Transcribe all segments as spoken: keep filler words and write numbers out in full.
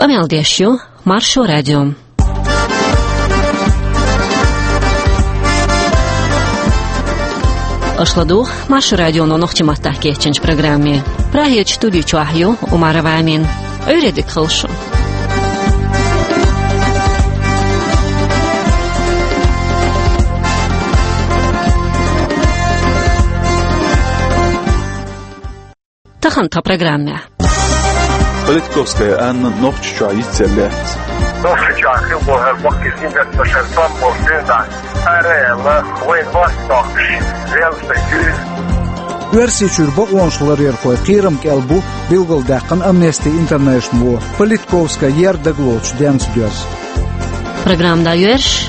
Къамел деш ю Маршо радио. Аша ладугӀу Маршо радионо нохчийн маттахь кечйинчу программе. Прагерчу студи чохь ю Умарова Амина. Ӏуьйре дика хуьлда шун. Тахана тхан программехь. Политковская Анна Нохчийчохь йицъелла лаьцна. Нохчийчохь хилла боху хӀара баккхий зингаттамаш, хӀара тӀом болу дуьйна. Цара аьлла, вайн мостагӀчоьнна, Велсачуьра. Оьрсийчуьра бакъонаш ларъярхойн кхерам кӀел бу билгалдаьккхина Amnesty International-о, Политковская ер дагалоцуш денца доьзна. Программа дӀайоьрзуш.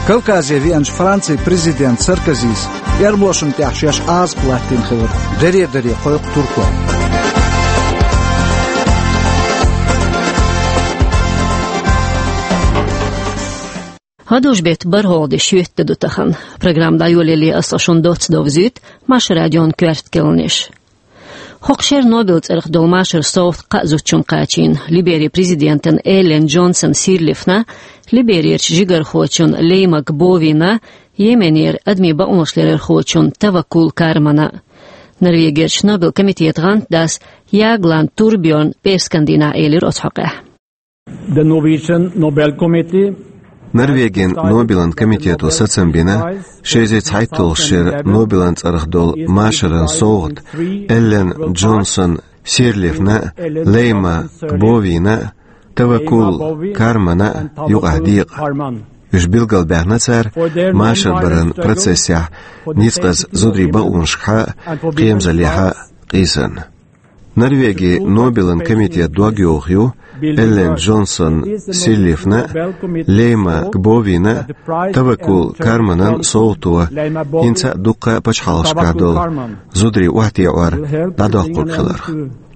Кавказе веанчу Францин президента Саркозис эрмалошна тӀехь шаьш Ӏазап латтийна хилар даре-даре кхойкху туркой. ХӀадужу-беттан бархӀалгӀа де шоьтан де ду тахана. Программа дӀайолале аса шуна доцца довзуьйту Маршо радион коьрта керланаш. ХӀокху шеран Нобелан цӀарах долу машаран совгӀат кхаа зудчунна кхачийна: Либерин президентана Эллен Джонсон Сирлифна, Либерерчу жигархочунна Лейма Гбовина, Йеменера адамийн бакъонаш ларъярхочунна Таваккул Кармана. Норвегерчу Нобелан комитетан гӀантдас Ягъланд Турбьорна пӀераскан дийнахь элира оцу хьокъехь. The Norwegian Nobel Committee. Норвегин Нобелан комитето сацам бина, ши эзар цхьайтталгӀачу шеран Нобелан цӀарах долу машаран совгӀат Эллен Джонсон Сирлифна, Лейма Гбовина, Таваккул Кармана юкъахь декъа. Уьш билгалбаьхна цара машар баран процессехь ницкъаза зударийн бакъонашкахьа а, кхерамзаллехьа а къийсарна. Норвегин Нобелан комитетан дог йоху ю Эллен Джонсон Сирлифна, Лейма Гбовина, Таваккул Карманан совгӀато хӀинца а дуккха а пачхьалкхашкахь долу зударий охьатаӀор дӀадоккхург хиларх.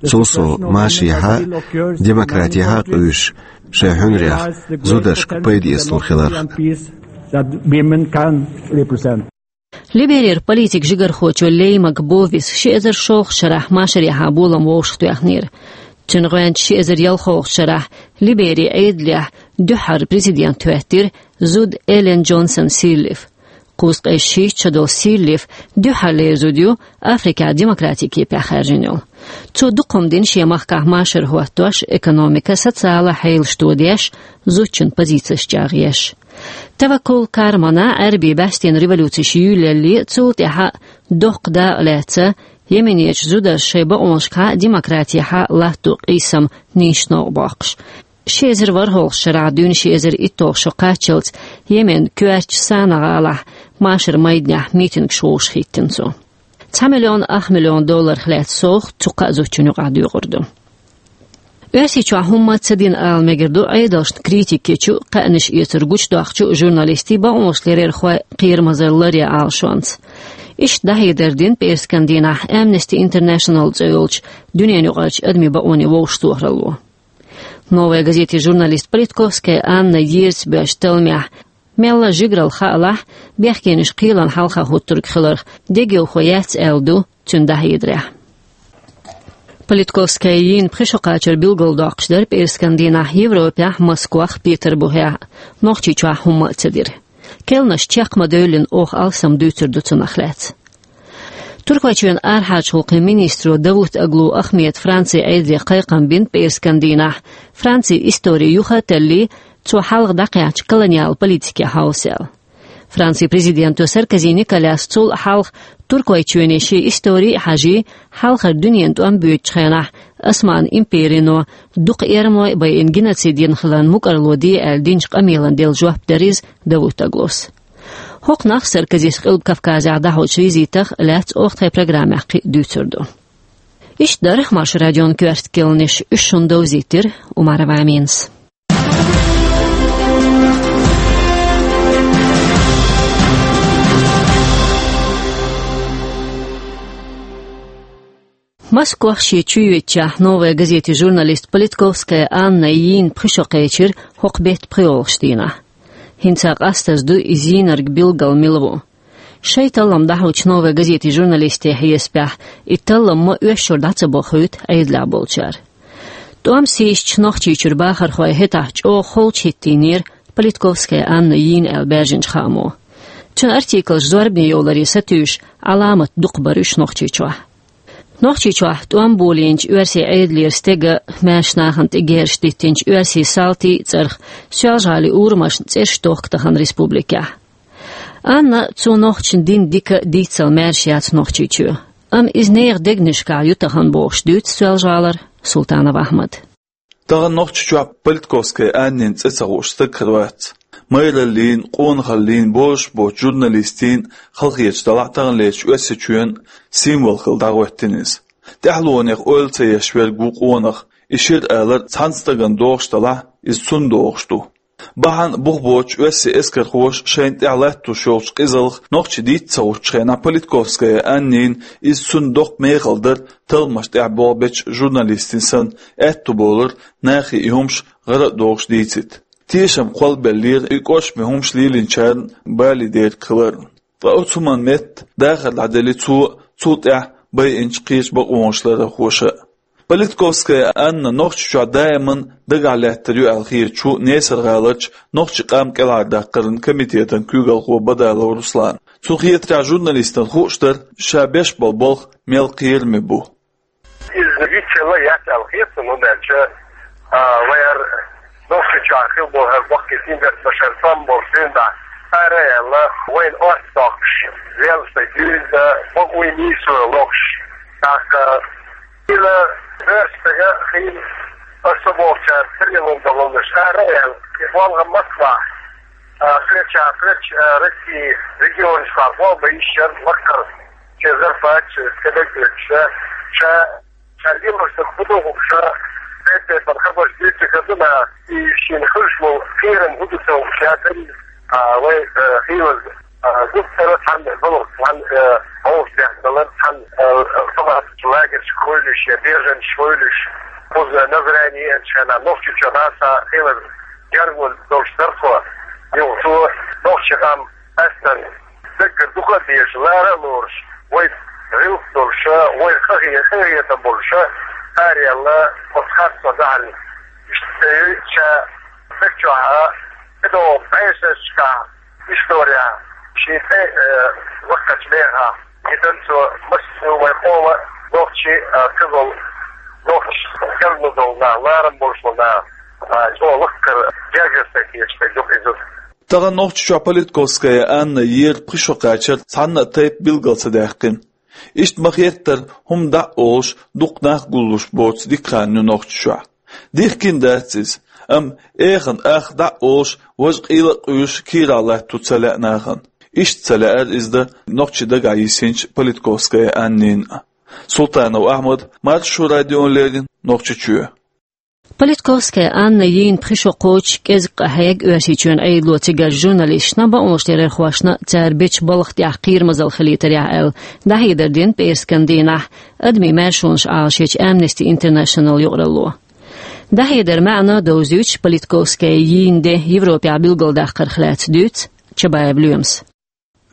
Цул сов машехьа а, демократехьа а къуьйсуш, шайн хьуьнарех зударшка пайда эцалур хиларх. Либерера политикан жигархочо Лейма Гбовис ши эзар шолгӀачу шарахь машарехьа болам вовшахтоьхнера. Цуьнан гӀоьнча ши эзар ялхолгӀачу шарахь Либерин Ӏедалехь дуьххьара президент хӀоьттира зуда Эллен Джонсон Сирлиф. Кхузткъе шийтта шо долу Сирлиф дуьххьарлера зуда ю Африкехь демократин кепехь хаьржина йолу. Цо дукха хӀума дина шен махкахь машар хӀоттош, экономика, социалан хьелаш тодеш, зудчун позицеш чӀагӀъеш. Таваккул Кармана Ӏаьрбийн баьстина революцеш юьйлале, цул тӀаьхьа доккха дакъа лаьцна, Йеменерчу зударша шайн бакъонашкахьа а, демократехьа а латто къийсам нийса новкъа боккхуш. Ши эзар ворхӀалгӀачу шарахь дуьйна ши эзар итталгӀа шо кхаччалц Йеменан коьртачу Санаа гӀалахь машаран майданехь митингаш вовшахӀиттина цо. Цхьа миллион ах миллион долларх лаьцна совгӀат цу кхаа зудчун юкъахь доькъур ду. Оьрсийчохь хӀумма а ца дина ала мегар ду Ӏедалшна критика ечу, кхаьънаш эцар гучудоккхучу журналистийн, бакъонаш ларъярхойн кхерамазалла ларъян Ӏалашонца. Иштта дӀахьедар дина пӀераскан дийнахь Amnesty International цӀе йолчу дуьненаюкъарчу адамийн бакъонийн вовшахтохаралло. «Новая газетин» журналист Политковская Анна ерза боьжначу талламехь, мелла а жигаралла хаалахь, бехкенаш кхелан хьалха хӀуттург хиларх дегайовхо яц аьлла ду цуьнан дӀахьедарехь. Политковская йийна пхи шо кхачар билгалдоккхуш дара пӀераскан дийнахь Европехь, Москвахь, Петарбухехь, Нохчийчохь хӀумма а ца дира. Керланаш чекх ма-девллина, оха алсам дуьйцур ду цунах лаьцна. Туркойчоьнан арахьарчу гӀуллакхийн министро Давутоглу Ахмеда Францин Ӏедале кхайкхам бина пӀераскан дийнахь, Францин истори юха а таллий, цо хьалха дӀакхаьчначу колониал политике хьовса аьлла. Францин президенто Саркози Николяс цул а хьалха Туркойчоьне шен истори а хьажий, хьалхара дуьненан тӀом боьдучу хенахь Осман империно дукха эрмалой а байина геноцид йина хиларна мукӀарло де аьлла динчу къамелан делла жоп дара иза Давутоглус. ХӀокху нах Саркозис Къилба Кавказехь дӀахьочу визитах лаьцна оха тхайн программехь кхин а дуьйцур ду. Иштта дара Маршо радион коьрта керланаш, уьш шуна довзийтира Умарова Аминас. Москвахь шен чуйоьдучехь «Новая газетин» журналист Политковская Анна йийна пхи шо кхечира хӀокху беттан пхоьалгӀачу дийнахь. ХӀинца къастаза ду иза йийнарг билггал мила ву. Шайн таллам дӀахьочу «Новая газетин» журналистийн хьесапехь, и таллам ма оьшшура дӀа ца бохуьйту Ӏедалехь болчара. ТӀом сийсачу Нохчийчуьра бахархой хӀетахь чӀогӀа холчу хӀиттийнера Политковская Анна йийна аьлла баьржинчу хаамо. Цуьнан артиклаш зорбане йовларе сатуьйсуш, Ӏаламат дукха бара уьш Нохчийчохь. Нохчийчохь тӀом болийначу оьрсийн Ӏедалера стеган, маьрша нахана тӀе герзаш диттинчу оьрсийн салтийн а цӀарах Соьлжа-ГӀалин урамашна цӀераш тохка тахана республикехь. Анна, цо нохчашна дина дика а, дийцал маьрша яц Нохчийчоь. Амма иза нехан дегнашкахь ю тахана бохуш дуьйцу Соьлжа-ГӀалара Султанов Ахьмада. Тахана Нохчийчохь Политковская Аннин цӀе ца хууш стаг хир вац. Майраллин, къонахаллин, бозуш боцу журналистийн, халахеташ делахь а, таханлерчу Оьрсийчоьнан символ хилла дӀахӀоьттина иза. ТӀаьхьалонех ойла ца еш верг ву къонах, и шира алар цхьана стагана догӀуш делахь а, иза цунна догӀуш ду. Бахьана бух боцуш оьрсийн эскархоша шайна тӀехь латтош йолчу къизалх нохчий дийца ца гӀуттучу хенахь, Политковская Аннина иза цунна доккха мехала дара, талламаш тӀехь болх бечу журналистийн санна, аьтту болар, нахе и хӀумаш гӀара а дохуш дийцийта. Тешам кхоллабеллера и кӀоршаме хӀумаш лелийначарна бале дерг хилар. Ткъа оцу хӀуманна метта дахар дӀаделли цо а, цул тӀаьхьа байинчу кхечу бакъонаш ларархоша а. Политковская Анна Нохчийчохь даиман дагахь лаьттар ю аьлла хеташ ву Несар-гӀаларчу нохчийн къам кӀелхьардаккхаран комитетан куьйгалхо Бадалов Руслан. Цунна хетарехь, журналистана хууш дара, ша беш болу болх мел кхераме бу. Иза вицвелла яц аьлла хета суна, хӀунда аьлча, а, вайн хӀара Нохчийчохь хилла болу хӀара баккхий синберт башар тӀом болуш дуьйна дӀа, ара а аьлла, вайна орца доккхуш, велла стаг дуьйна, бакъо нийсо лохуш, тӀаккха, хила, бер стага хила, аса бохучара тарлон долуш, ара а аьлла, и болу Москвахь, а, кхеча, кхеча, а, России регионашкахь болх бан йиш яра лакхара. Шен зарплаташ, кадагдоьцуш, ша, ша лелош дерг хӀун ду хӀума, ша, бер-бер хабарш дуьйцург хӀун ду, и шена хуьлуш болу кхерам хӀун ду ца хууш, ша, а, вай, а, хилаза, а, гуттара а цхьаьна балхах, цхьаьна, а, хьовсадехна далар, цхьаьна, а, а, халаташ лагершка хьуьйлуш, я беженцаш хьуьйлуш, кхуза Назрани еанчу хенахь Нохчийчохь нахаца хилаза гергарло долуш дара тхо. Юха цо нохчийн къам астана даггара дукха а дезаш, лара а лоруш, вай гӀиллакх долуша, вай къахе-, къахетам болуша, араяьлла, оцу харцо дахьалла. Иштта ша стаг чохь а, тӀедогӀу бӀешерашкахь, история, шен тӀе, э, ваккхачу мехахь, и дан цо массо вай къома нохчий, а, ца долу, нохчий керло долу нах, ларам болуш болу нах, а, чӀогӀа лакхара гергара стаг хеташ стаг ду иза. Тахана Нохчийчохь Политковская Анна ера пхи шо кхачар цхьанна а тайпа билгал ца даьккхина. Иштта ма-хеттара хӀума дӀа а олуш, дукха нах гуллуш боцу дика хан ю Нохчийчохь. Дихкина дац иза, амма эхана ах дӀа а олуш, важа къийла а къуьйсуш, кийрахь латто ца лаьа нахана. Иштта ца лаьара иза дан нохчий дагахь йисинчу Политковская Аннина. Султанов Ахьмад, Маршо радиона леррина, Нохчийчоь. Политковская Анна йийна пхи шо кхочуш кӀезиг къахьега Оьрсийчоьнан Ӏедало цигара журналисташна, бакъонашларъярхошна цара бечу балха тӀехь кхерамазалла хилийтарехь аьлла, дӀахьедар дина пӀераскан дийнахь адамийн маршонаш Ӏалашъечу Amnesty International юкъаралло. ДӀахьедаран маьӀна довзуьйтуш, Политковская йийна де Европехь билгалдаккхарх лаьцна дуьйцу Чабаев Лоьмас.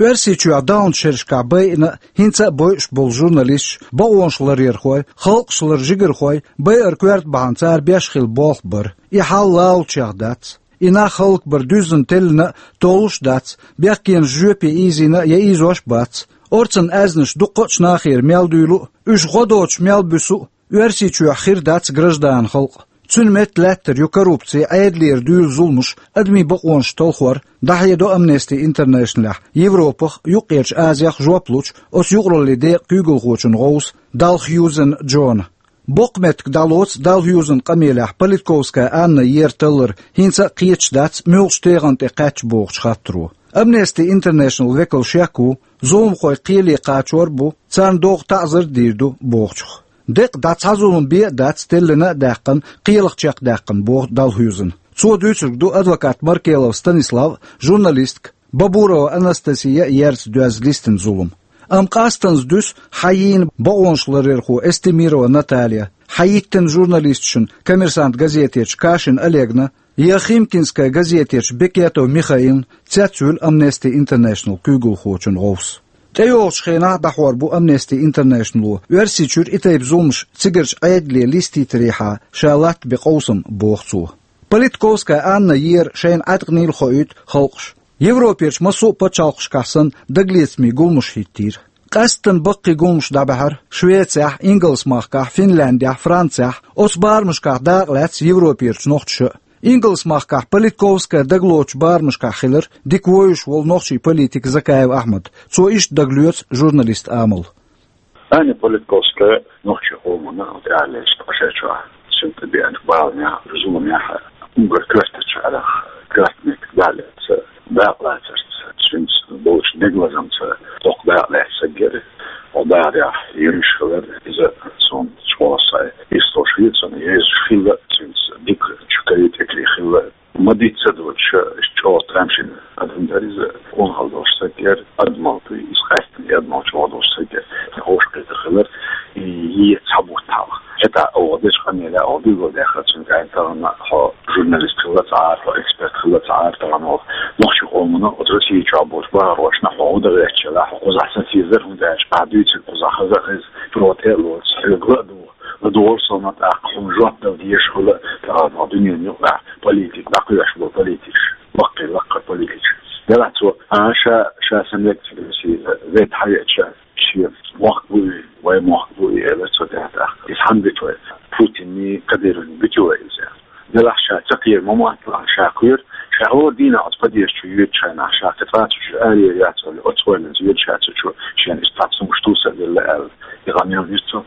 Оьрсийчохь даханчу шерашкахь байина а, хӀинца а бойуш болу журналисташ, бакъонашларъярхой, халкъашлара жигархой байар коьрта бахьана цара беш хилла болх бара. И хьал лалучех дац. И нах хӀаллакбар дуьззина теллина а, толлуш а дац, бехкенаш жоьпе ийзийна а, я ийзош а бац. Орцан аьзнаш дуккха а нахера мел дуьйлу а, уьш гӀо доцуш мел буьсу а, Оьрсийчохь хир дац граждан халкъ. Цуьнан метта лаьттар ю коррупци, Ӏедалера дуьйлу зуламаш, адамийн бакъонаш талхор, дӀахьедо Amnesty International-ехь Европах, Юккъерчу Азех жоп лучу оцу юкъараллин декъан куьйгалхочун гӀовса Далхьюзен Джона. Боккха меттиг дӀалоцу Далхьюзен къамелехь Политковская Анна ера таллар хӀинца а кхеташ дац муьлхачу тегӀан тӀе кхаьчча бохучу хаттаро. Amnesty International векал шек ву, зуламхой кхеле кхачор а бу, царна догӀу таӀзар а дийр ду бохучух. Декъа дӀа цхьа зулам бен а дац теллина а даьккхина, кхелах чекхдаьккхина, боху Далхьюзена. Цо дуьйцург ду адвокат Маркелов Станислав а, журналистка Бабурова Анастасия а ерца доьзна листина зулам. Амма къастаза дуьсу хьан йийна бакъонашларъярхо Эстемирова Наталья, хьан йиттина журналисташна Коммерсант газетечу Кашин Олегна, я Химкинская газетечу Бекетов Михаилна, цецвуьлу Amnesty International куьйгалхочун гӀовс. ТӀейогӀучу хенахь дӀахьор бу Amnesty International-о, Оьрсийчуьра и тайпа зуламаш цигарчу Ӏедале листийтарехьа ша латтабе къовсам, боху цо. Политковская Анна ера шайна Ӏаткъанийла хоуьйту халкъаш. Европерчу массо а пачхьалкхашкахь санна дагалецамийн гуламаш хӀиттийра. Къаьсттина баккхий гуламаш дӀабаьхьира Швецехь, Ингалс-махкахь, Финляндехь, Францехь, оцу барамашкахь дакъа лаьцна Европерчу нохчаша а. Ингалс-махкахь Политковская дагалоцучу барамашкахь хилира дика вевзаш волу нохчийн политик Закаев Ахьмад. Цо иштта дагалоьцу журналистан амал. Аня Политковская нохчийн къомана тӀаьхьа лаьцна ткъа шарчохь, цуьнан тӀе беанчу баланехь, зуламехь, уггар коьртачу хьолах коьрта меттиг дӀалаьцна, дакъа лацарца, цуьнца болчу дегалазамца доккха дакъа лаьцна стаг яра. Оха дахарехь юьртахь хилира иза, суна чӀогӀа сайн йистхуьлуш хилла, цунна езаш хилла, цуьнца дика чу кхетта хилла. Ма-дийццара доцуш, чӀогӀа тӀемаш йина адам дара иза, къонахалла долуш стаг яра, адамалла дуй, иза къаьсттина адамалла чӀогӀа долуш стаг яра. Тхан хӀорш кхетар хилар, и е цхьа бутт хьалха. ХӀетахь оха дечу къамелехь оха билгалдаьккхира цуьнга, аьлла, тахана хьо журналист хилла ца Ӏара, хьо эксперт хилла ца Ӏара тахана оха. Нохчийн къомана оцу Россия чохь болчу бахархошна хьо хӀун дан гӀерташ хилла, хьо кхузахь сацийзар, хӀунда аьлча ахь дуьйцург кхузахь хаза а хеза, тро тӀе а лоцуш, хьоьга ла а догӀу. ЛадогӀал суна тӀаккха хьуна жоп дала дезаш хилла, тахана дуьненан юкъахь политика, дӀакхоьхьуш болу политикаш, баккхий лаккхара политикаш. Делахь цо, а, ша, ша сан мега ца весийла, вай тӀе хьавеача, шен мохк бу и, вай мохк бу и, элира цо тӀаьхьа тӀаккха. Иза хьанна битий вай? Путинний, Кадыровни битий вай иза? Делахь ша ца кхера ма мотталахь, ша кхоьру, ша хӀора дийнахь оцу подъезда чу йоьдучу хенахь, ша кхин цкъа цу чуьра араяр яц аьлла, оцу ойланца йоьдуш яц цу чу, шена иштта цхьа цхьа хӀумаш тосуш а делла аьлла. И къамел йира цо.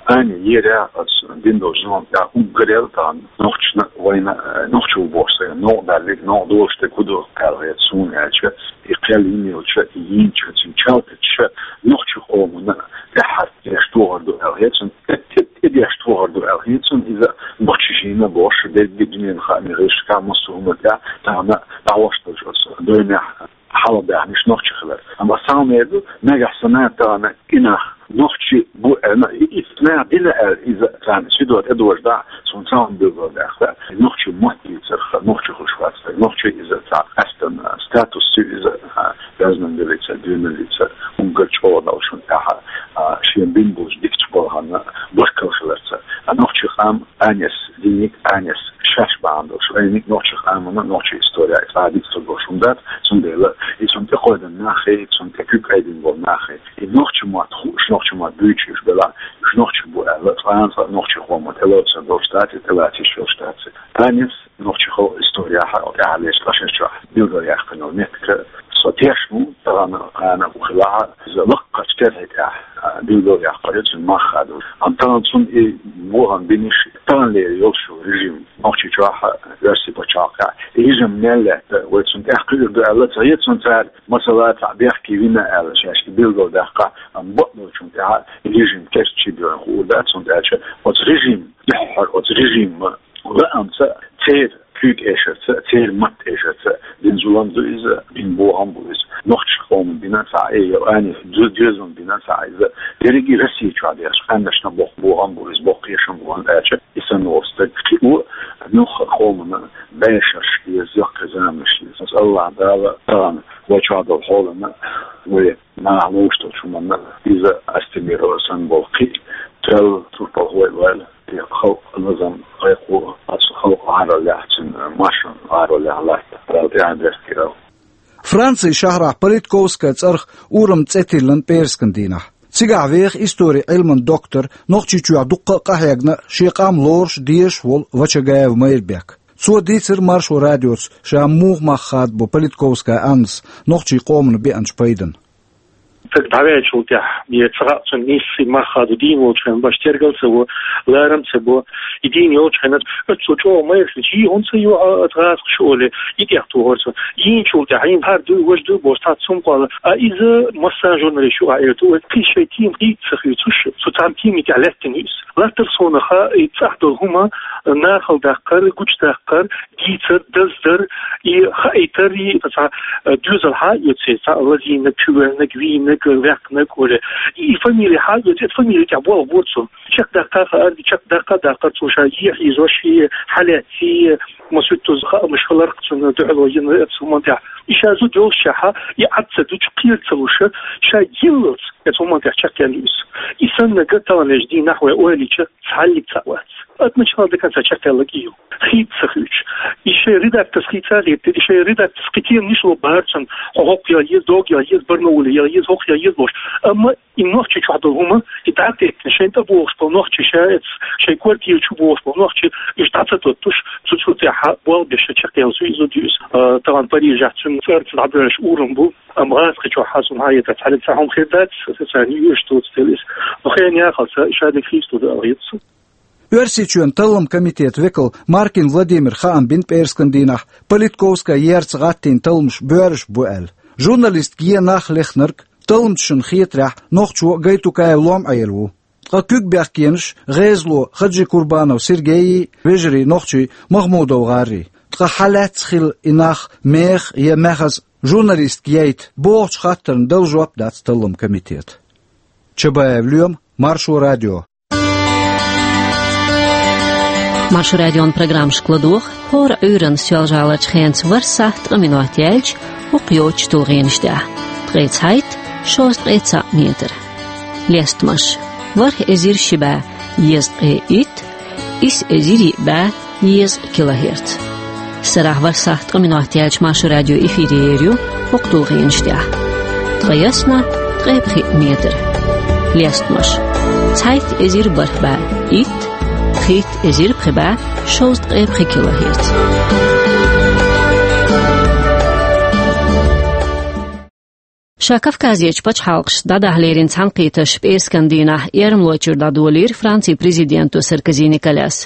Аня ера оцу дина долчу зуламна тӀехь уггар а тахана нохчашна, вайна, э, нохчо ву бохуш стагана новкъа далларг, новкъа долуш дерг хӀун ду аьлла хета суна аьлча, и кхел йина йолчу, и йинчу, цуьнан чалтачу нохчийн къомана тӀаьххьара деш тохар ду аьлла хета суна, тӀе, тӀе, тӀе деш тохар ду аьлла хета суна, иза нохчаша йина бохуш, дерриге дуьненан хаамийн гӀирсашкахь, массо а хӀуманна тӀехь тахана дӀахьош долчу оцу дойнехь хьалха баьхнарш нохчий хилар. Амма сан мера ду, нагахь санна тахана и нах нохчий бу аьлла, и, и нах дина аьлла, иза царна сидо тӀедожадахь, суна цхьа хӀума билгалдаьккхира. Нохчийн мотт дийцарх, нохчи хуьлуш вац стаг, нохчо иза цхьа къаьсттина статус ю иза, а, безнамбилица, дуьйналлица, уггар чӀогӀа дала шуна тӀаьхьа, а, шен бина болчу дикачу балхана баркалла хиларца. А нохчийн къам Анес диниг, Анес шаьш бахьана долуш, айниг нохчийн къамана, нохчийн история, цкъа а дика ца долуш хӀума дац, цундела и цунна тӀекхойдина нах хи, цунна тӀе куьг айдина болу нах хи. И нохчийн мотт хууш, нохчийн мотт буьйцуш уьш белахь, уьш нохчий бу аьлла, цкъа а нохчийн къоман тӀелоцур долуш дац, тӀелаца йиш йолуш дац. Анес нохчийн халкъан историяхь тӀаьхьа лаьцна ткъа шарчохь билгалъяьккхина йолу меттиг, со тешна ву, тахана кхана а ву хилахь, иза лаккхарчу керлачу тӀехь, а, билгалъяьккхина ю цуьнан мах а ду. Амма тахана цунна и бохам бинарш, таханлера йолуш йолу режим, Нохчийчохь а, Оьрсийн пачхьалкхехь а, и режим мел лаьтта, вай цунна тӀехь кхуьур ду аьлла ца хета суна цара, масала, цхьаъ бехке вина аьлла, шаьш и билгалдаьккхина, амма бакъдолчунна тӀехь и режим керста чу бевлла хуур дац, хӀунда аьлча оцу режим дуьххьара, оцу режиман лаамца, церан куьйга эшарца, церан матта эшарца бина зулам ду иза, бина бохам бу иза. Нохчийн къоман бина цхьа, э, я Анес ду-, доьзална бина цхьа иза. Дерриге Россия чохь дерш къаьмнашна боккха бохам бу иза, боккха эшам бу, хӀунда аьлча и санна волу стаг кхин а ву, муьлхха а къомана бӀешераш еза, яккхий заманаш еза. Аса АллахӀ Дала тахана вай чохь долу хьолана, вай наха ловш долчу хӀуманна, иза Астемирова санна болу кхин а тоьлла турпалхой а ваьлла, и халкъан лазам, кхайкхо, оцу халкъан гӀаролехь, цуьнан машан гӀаролехь латта, Дала тӀаьхье беркате йойла. Францин шахьарахь Политковская цӀарах урам цӀе тиллина пӀераскан дийнахь. Цигахь веха историн Ӏилман доктор, Нохчийчохь дуккха а къахьегна, шен къам лоруш, дезаш волу Вачагаев Майрбек. Цо дийцира Маршо радиоца ша муха мах хадабо Политковская Аннас нохчийн къомана беанчу пайдана. Стаг дӀаваьллачул тӀаьхьа, я ца хаьа цунна нийса мах хадо дийна волчу хенахь, башха тергал а ца во, ларам а ца бо, и дийна йолчу хенахь, оццул чӀогӀа майралц, и хӀунда ца йо, а, оцу гӀазкхаша олий, и тӀехтохара цо. Йийначул тӀаьхьа, хӀара дуй, важа дуй бохуш, цхьацца хӀума кхолла. А иза массарна журналисташа юкъахь эр ду, вай кхин шайн тема дийца ца хуьйцуш, цу цхьана темин тӀехь лаьттина ю иза. Латтара суна хаа, и цӀахь долу хӀума, нахала даккхар, гучудаккхар, дийцар, даздар, и хаийтар, и цхьа, э, доьзалхьа а оьцу, цхьа лазийнарг, чувоьллинарг, вийнарг, ваьккхинарг, оале. И фамили хьаоьцу, фамили тӀехь болх бора цунна. Чекхдаккха хаар, чекхдаккха даккхар цо ша е хьийзош, е хьалаьцций, масуьттуз хаамаш хиларх цунна дуьхьало йина эцу хӀуманна тӀехь. И ша зуда йолуш чехьа, и Ӏад ца дуьтуш, кхера ца луш, ша гилалц эцу хӀуманна тӀехь чекхъяьлла ю иза. И санна гаталанеш дийнахь вай ойла йича, цхьаллиг цхьаъ вац. От начала до конца чекхъяьлларг и ю. Хийца ца хуьйцуш. И шайн редакторс хийца а хӀиттира, и шайн редакторс кхин теманаш ло бара цунна, хьо хӀокху яла еза, догу яла еза, Барнауле яла еза, хӀокху яла еза бохуш. Амма и нохчи чохь долу хӀума, и дӀа а теттина, шайна тӀебогӀуш болу нохчи, ша эцу шайн квартира чу богӀуш болу нохчи, уьш дӀа ца тоттуш, цу, цу тӀехь болх беш чекхъяьлла ю иза, ю иза. А, тахана Парижехь цуьнан цӀарца дӀабоьллуш урам бу, амма гӀазкхи чохь хьан сум хьан ецахь, цхьаьна цхьа хӀума хир дац, аса царна юьрш тоцу тела иза. Но хен яхалца, ша дика хийца ду ала хета. Оьрсийчоьнан таллам комитетан векал Маркин Владимир хаам бина пӀераскан дийнахь, Политковская ерца гӀаттийна талламаш боьраш бу аьлла. Журналистка е нах лехнарг, талламчашна хетарехь, нохчо Гайтукаев Лом-Ӏела ву. Ткъа куьг бехкенаш гӀезало Хаджикурбанов Сергейи, вежарий нохчий Махмудов ГӀаррий. Ткъа хьалаьцна хилла и нах меха я маьхза журналистка яйта бохучу хаттарна дала жоп дац таллам комитета. Чабаев Лоьма, Маршо радио. Маршо радион программашка ладогӀа хӀора Ӏуьйранна Соьлжа-ГӀаларчу хенца ворхӀ сахьт ткъа минот яьлча хӀокху йоцучу тулгӀенаш тӀехь: ткъе цхьайтта, шовзткъе цхьаъ метр. Лестамаш: ворхӀ эзар ши бӀе езткъе итт, исс эзар йиъ бӀе езткъа килогерц. Сарахь ворхӀ сахьт ткъа минот яьлча Маршо радио эфире ер ю хӀокху тулгӀенаш тӀехь: ткъе ялх, ткъе пхиъ метр. Лестамаш: цхьайтта эзар бархӀ бӀе итт, пхийтта эзар пхи бӀе шовзткъе пхи килогерц. Ша Кавказерчу пачхьалкхашца дӀадахьа лерина цхьаьнакхетарш пӀераскан дийнахь Эрмалойчуьра дӀадолийра Францин президенто Саркози Николяс.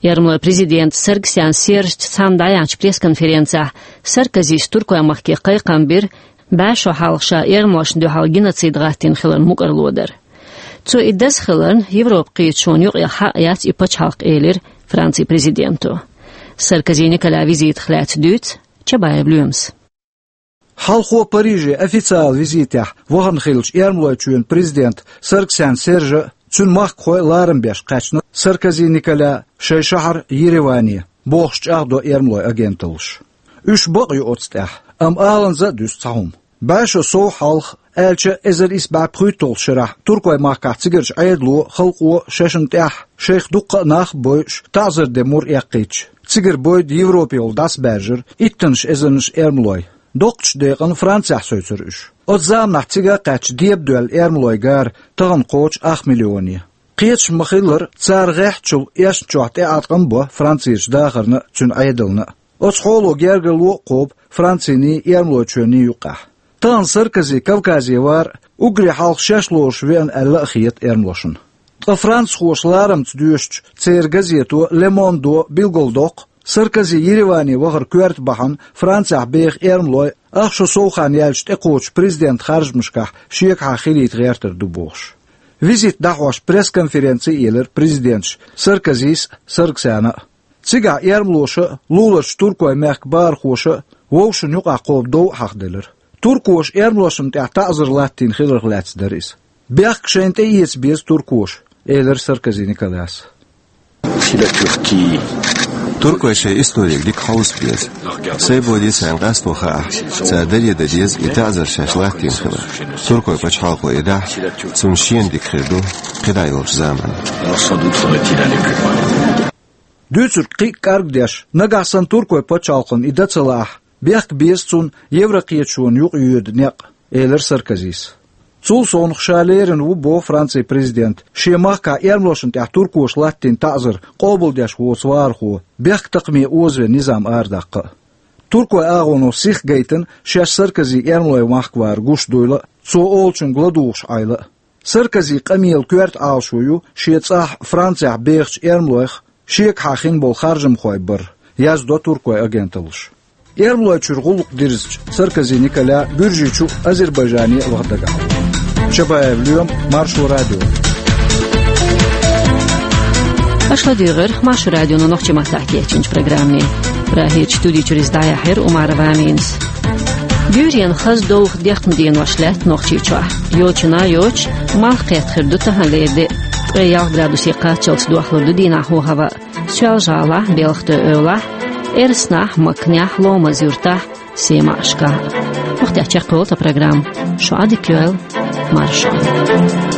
Эрмалойн президента Саргсян Сержца цхьаьна дӀаяьхьначу пресс-конференцехь Саркозис Туркойн махке кхайкхам бира, бӀе шо хьалха ша эрмалошна дуьхьал геноцид гӀаттийна хиларна мукӀарло дар. Цо и даза хиларна, Европан кхеташонна юкъахь хьакъ яц и пачхьалкх, элира Францин президенто. Саркози Николян визитах лаьцна дуьйцу Чабаев Лоьмас. Хьалхо Париже официалан визитехь вахана хиллачу Эрмалойчоьнан президента Саргсян Сержа а, цуьнан махкахой а ларам беш кхаьчна Саркози Николя шайн шахьар Ереване, бохуш чӀагӀдо эрмалойн агенталлаша. Уьш бакъ ю оцу тӀехь, амма аланза а дуьсу цхьа хӀума. БӀе шо сов хьалха, аьлча эзар исс бӀе пхуьйтталгӀачу шарахь, Туркойн махкахь цигарчу Ӏедало, халкъо шайшинна тӀехь, шайх дуккха а нах а бойуш, таӀзар де мур эккхийтча, цигара бойда Европе йолу дӀасабаьржира иттаннаш эзарнаш эрмалой. Доккхачу декъана Францехь севцира уьш. Оцу заманахь цига а кхаьчча, дебадоьлла эрмалойн гара тахана кхочу ах миллионе. Кхеташ ма-хиллара, цара гӀеххьачул эшначохь тӀеӀаткъам а бо Францерчу дахарна а, цуьнан Ӏедална а. Оцу хьоло гергарло а кхобу Франциний, Эрмалойчоьнний юккъехь. Тахана Саркози Кавказе вар а, уггаре хьалха шаьш лоруш веана аьлла а хета эрмалошна. Ткъа францхоша ларамца доьшучу церан газето Le Monde-о билгалдоккху, Саркози Ереване вахар коьрта бахьана Францехь беха эрмалой ах шо сов хан яьлча тӀекхочучу президентан харжамашкахь шегахьа хилийта гӀертар ду бохуш. Визит дӀахьош пресс-конференци а елира президенташа Саркозис а, Саргсяна а. Цигахь эрмалоша а, луларчу Туркойн мехкан бахархоша а вовшашна юкъахь кхобу дов а хьахделира. Туркоша эрмалошна тӀехь таӀзар латтийна хиларх лаьцна дара иза. Бехк шайна тӀеэца беза туркоша, элира Саркози Николяс. Туркой шайн историг дика хьовса беза. Сайн боде царна къасто хаахь, цара даре дан деза и таӀзар шаьш латтийна хилар. Туркойн пачхьалкхо и дахь, цунна шена дика хир ду кхидӀа йолчу заманахь. Дуьйцург кхин а кӀаргдеш, нагахь санна Туркойн пачхьалкхана и дан ца лаахь, бехк беза цунна Еврокхеташонна юкъа йоьду некъ, элира Саркозис. Цул совнаха ша лерина ву, боху Францин президента, шен махкахь эрмалошна тӀехь туркоша латтийна таӀзар къобалдеш воцу вахархо, бехктакхаме озавен низам арадаккха а. Туркойн агӀоно сих гайтина шаьш Саркози эрмалойн махка вар гуш дуйла а, цо олучуьнга ладугӀуш Ӏайла а. Саркозин къамелан коьрта Ӏалашо ю шен цӀахь Францехь бехачу эрмалойх шегахьа хин болу харжамхой бар, яздо туркойн агенталлаша. Эрмалойчуьра гӀуллакх дирзича, Саркози Николя Гуьржийчу а, Азербайджане а ваха дагахь. Чабаев Лоьма, Маршо радио. Аша ладуьйгӀира Маршо радионо нохчийн маттахь кечйинчу программе. Прагерчу студи чуьра иза дӀаяьхьира Умарова Аминас. Гуьйренна хаза довха декхна денош лаьтта Нохчийчохь. Йочана йоцуш, малх кхетта хир ду тахана лерина де. Ткъе ялх градусе кхаччалц дохлур ду дийнахьа хӀаваъ. Соьлжа-ГӀалахь, Белхатуй-Эвлахь, Эрсанахь, Макнехь, Ломаз-Юртахь, Семашкахь. Вахтехь чекхйолу тхан программа. Шу Ӏадика йойла, марша Ӏойла.